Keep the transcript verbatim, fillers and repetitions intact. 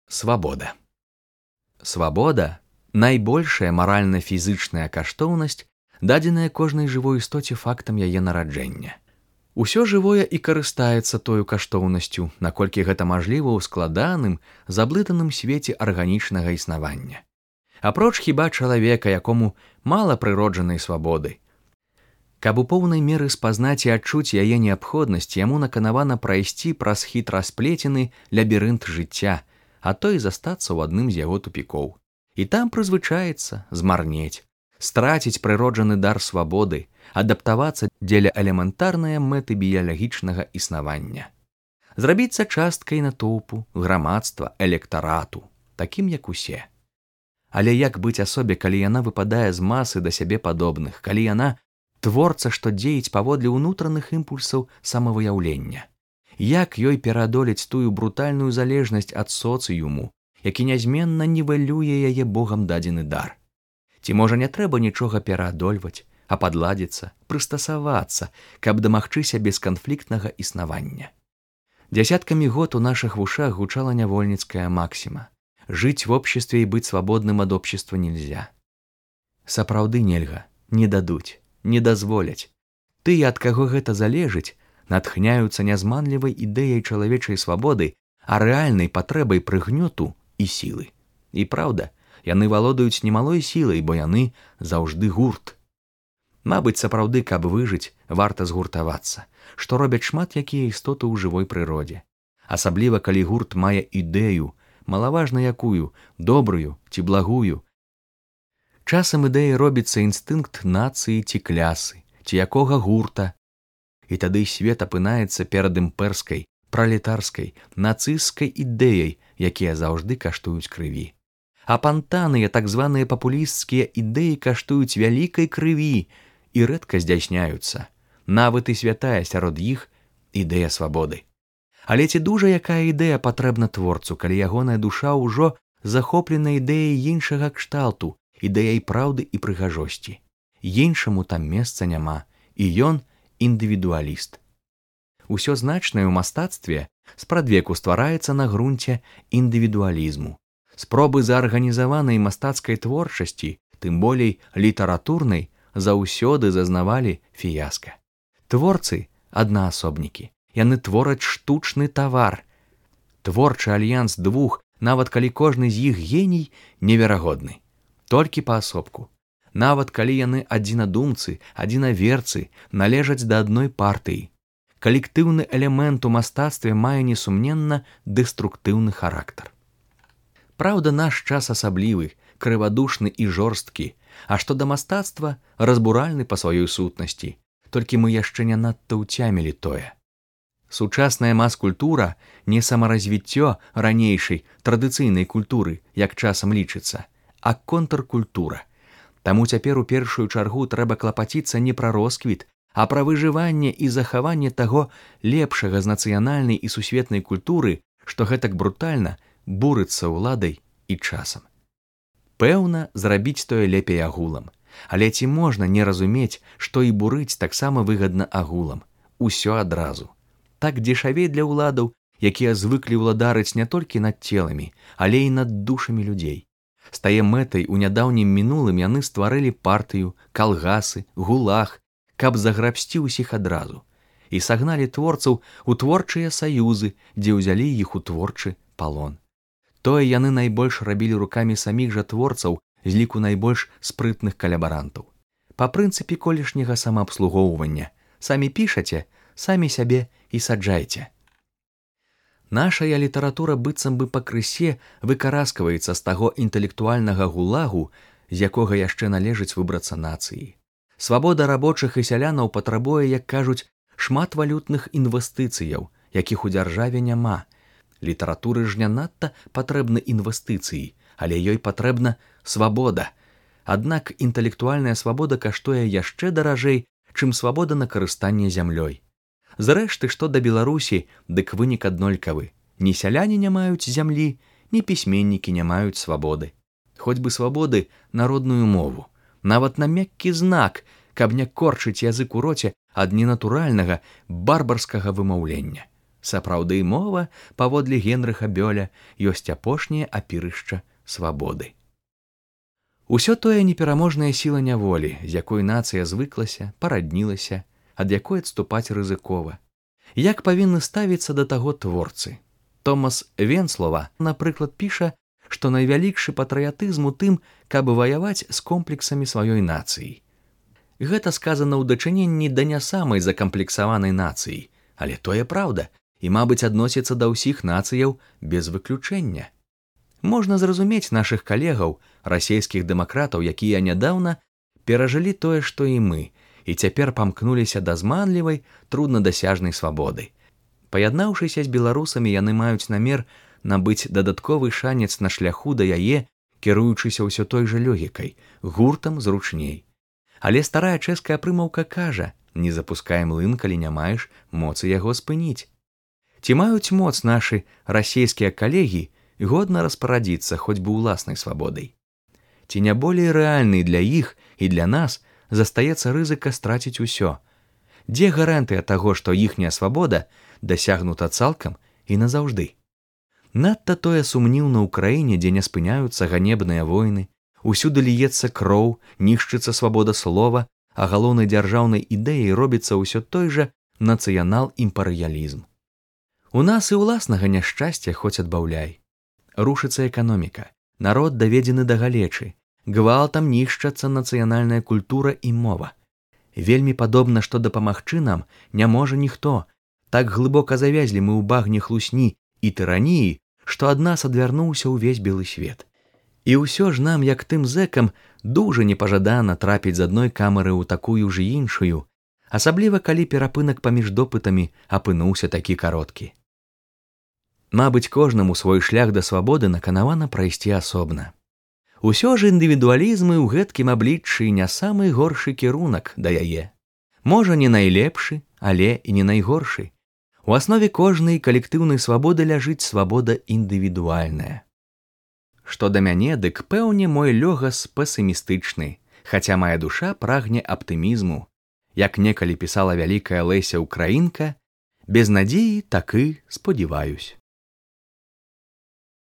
Свабода. Свабода – найбольшая маральна-фізычная каштоўнасць, дадзеная кожнай жывой істоце фактам яе нараджэння. Усё жывое і карыстаецца тою каштоўнасцю, наколькі гэта мажліва ў складаным, заблытаным свеце арганічнага існавання. Апроч хіба чалавека, якому мала прыроджанай свабоды. Каб у поўнай меры спазнаць і адчуць яе неабходнасць, яму наканавана прайсці праз хітра сплецены лабірынт жыцця, а то і застацца ў адным з яго тупікоў. І там прызвычаецца, змарнець, страціць прыроджаны дар свабоды, адаптавацца дзеля элементарнае мэты біялагічнага існавання. Зрабіцца часткай натоўпу, грамадства, электарату, такім як усе. Але як быць асобе, калі яна выпадае з масы да сябе падобных, калі яна творца, што дзеяць паводле ўнутраных імпульсаў самавыяўлення? Як ёй пераадолець тую брутальную залежнасць ад соцыюму, які нязменна нівэлюе яе богам дадзены дар? Ці можа не трэба нічога пераадольваць, а падладзіцца, прыстасавацца, каб дамагчыся бесканфліктнага існавання? Дзясяткамі год у нашых вушах гучала нявольніцкая максіма: жыць в обществе і быць свабодным ад общества нельзя. Сапраўды нельга, не дадуць, не дазволяць. Тыя, ад каго гэта залежыць, натхняюцца нязманлівай ідэяй чалавечай свабоды, а рэальнай патрэбай прыгнёту і сілы. І праўда, яны валодаюць немалой сілай, бо яны заўжды гурт. Мабыць, сапраўды, каб выжыць, варта згуртавацца, што робяць шмат якія істоты ў жывой прыродзе. Асабліва, калі гурт мае ідэю, малаважна якую, добрую ці благую. Часам ідэяй робіцца інстынкт нацыі ці клясы, ці якога гурта. І тады свет апынаецца перад імперскай, пралетарскай, нацысцкай ідэяй, якія заўжды каштуюць крыві. А пантаныя, так званыя папулісцкія ідэі каштуюць вялікай крыві і рэдка здзяйсняюцца. Нават і святая сярод іх ідэя свабоды. Але ці дужа якая ідэя патрэбна творцу, калі ягоная душа ўжо захоплена ідэяй іншага кшталту, ідэяй праўды і прыгажосці. Іншаму там месца няма, і ён індывідуаліст. Усё значнае ў мастацтве спрадвеку ствараецца на грунце індывідуалізму. Спробы заарганізаванай мастацкай творчасці, тым болей літаратурнай, заўсёды зазнавалі фіяска. Творцы – аднаасобнікі. Яны твораць штучны тавар. Творчы альянс двух, нават калі кожны з іх геній, неверагодны. Толькі паасобку. Нават калі яны адзінадумцы, адзінаверцы, належаць да адной партыі. Калектыўны элемент у мастацтве мае несумненна дэструктыўны характар. Праўда, наш час асаблівы, крывадушны і жорсткі, а што да мастацтва, разбуральны па сваёй сутнасці. Толькі мы яшчэ не надта ўцямілі тое. Сучасная мас-культура не самаразвіццё ранейшай традыцыйнай культуры, як часам лічыцца, а контркультура. Таму цяпер у першую чаргу трэба клапаціцца не пра росквіт, а пра выжыванне і захаванне таго лепшага з нацыянальнай і сусветнай культуры, што гэтак брутальна бурыцца ўладай і часам. Пэўна, зрабіць тое лепей агулам. Але ці можна не разумець, што і бурыць таксама выгадна агулам? Усё адразу. Так дзешавей для ўладаў, якія звыклі ўладарыць не толькі над целамі, але і над душамі людзей. З тае мэтай у нядаўнім мінулым яны стварылі партыю, калгасы, гулаг, каб заграбсці ўсіх адразу. І сагналі творцаў у творчыя саюзы, дзе ўзялі іх у творчы палон. Тое яны найбольш рабілі рукамі саміх жа творцаў з ліку найбольш спрытных калябарантаў. Па прынцыпе колішняга самаабслугоўвання. Самі пішаце, самі сябе і саджайце. Нашая літаратура быццам бы пакрысе выкараскваецца з таго інтэлектуальнага гулагу, з якога яшчэ належыць выбрацца нацыі. Свабода рабочых і сялянаў патрабуе, як кажуць, шмат валютных інвестыцыяў, якіх у дзяржаве няма. Літаратуры ж не надта патрэбны інвестыцыі, але ёй патрэбна свабода. Аднак інтэлектуальная свабода каштуе яшчэ даражэй, чым свабода на карыстанне зямлёй. Зрэшты, што да Беларусі, дык вынік аднолькавы. Ні сяляне не маюць зямлі, ні пісьменнікі не маюць свабоды. Хоць бы свабоды народную мову. Нават на мяккі знак, каб не корчыць язык у роце ад ненатуральнага, барбарскага вымаўлення. Сапраўды мова, паводле Генрыха Бёля, ёсць апошняе апірышча свабоды. Усё тое непераможная сіла няволі, з якой нацыя звыклася, параднілася, ад якой адступаць рызыкова. Як павінны ставіцца да таго творцы? Томас Венслова, напрыклад, піша, што найвялікшы патрыятызм у тым, каб ваяваць з комплексамі сваёй нацыі. Гэта сказана ў дачыненні да не самай закамплексаванай нацыі, але тое праўда, і, мабыць, адносіцца да ўсіх нацыяў без выключэння. Можна зразумець нашых калегаў, расійскіх дэмакратаў, якія нядаўна перажылі тое, што і мы, і цяпер памкнуліся да зманлівай, труднадасяжнай свабоды. Паяднаўшыся з беларусамі, яны маюць намер набыць дадатковы шанец на шляху да яе, кіруючыся ўсё той жа логікай, гуртам зручней. Але старая чэшская прымаўка кажа: не запускай млын, калі не маеш моцы яго спыніць. Ці маюць моц нашы расійскія калегі годна распарадзіцца хоць бы ўласнай свабодай? Ці не болей рэальнай для іх і для нас застаецца рызыка страціць усё? Дзе гарантыя таго, што іхняя свабода дасягнута цалкам і назаўжды? Надта тое сумніўна ў краіне, дзе не спыняюцца ганебныя войны, усюды ліецца кроў, нішчыцца свабода слова, а галоўнай дзяржаўнай ідэяй робіцца ўсё той жа нацыянал-імперыялізм. У нас і ўласнага няшчасця хоць адбаўляй. Рушыцца эканоміка, народ даведзены да галечы, гвалтам нішчацца нацыянальная культура і мова. Вельмі падобна, што дапамагчы нам не можа ніхто. Так глыбока завязлі мы ў багне хлусні і тыраніі, што ад нас адвярнуўся ўвесь белы свет. І ўсё ж нам, як тым зэкам, дужа непажадана трапіць з адной камеры ў такую ж іншую, асабліва калі перапынак паміж допытамі апынуўся такі кароткі. Мабыць, кожнаму свой шлях да свабоды наканавана прайсці асобна. Усё ж індывідуалізмы ў гэткім абліччы не самы горшы кірунак да яе. Можа, не найлепшы, але і не найгоршы. У аснове кожнай калектыўнай свабоды ляжыць свабода індывідуальная. Што да мяне, дык пэўне мой лёгас песімістычны, хаця мая душа прагне аптымізму. Як некалі пісала вялікая Леся Украінка, без надзеі так і спадзяваюсь.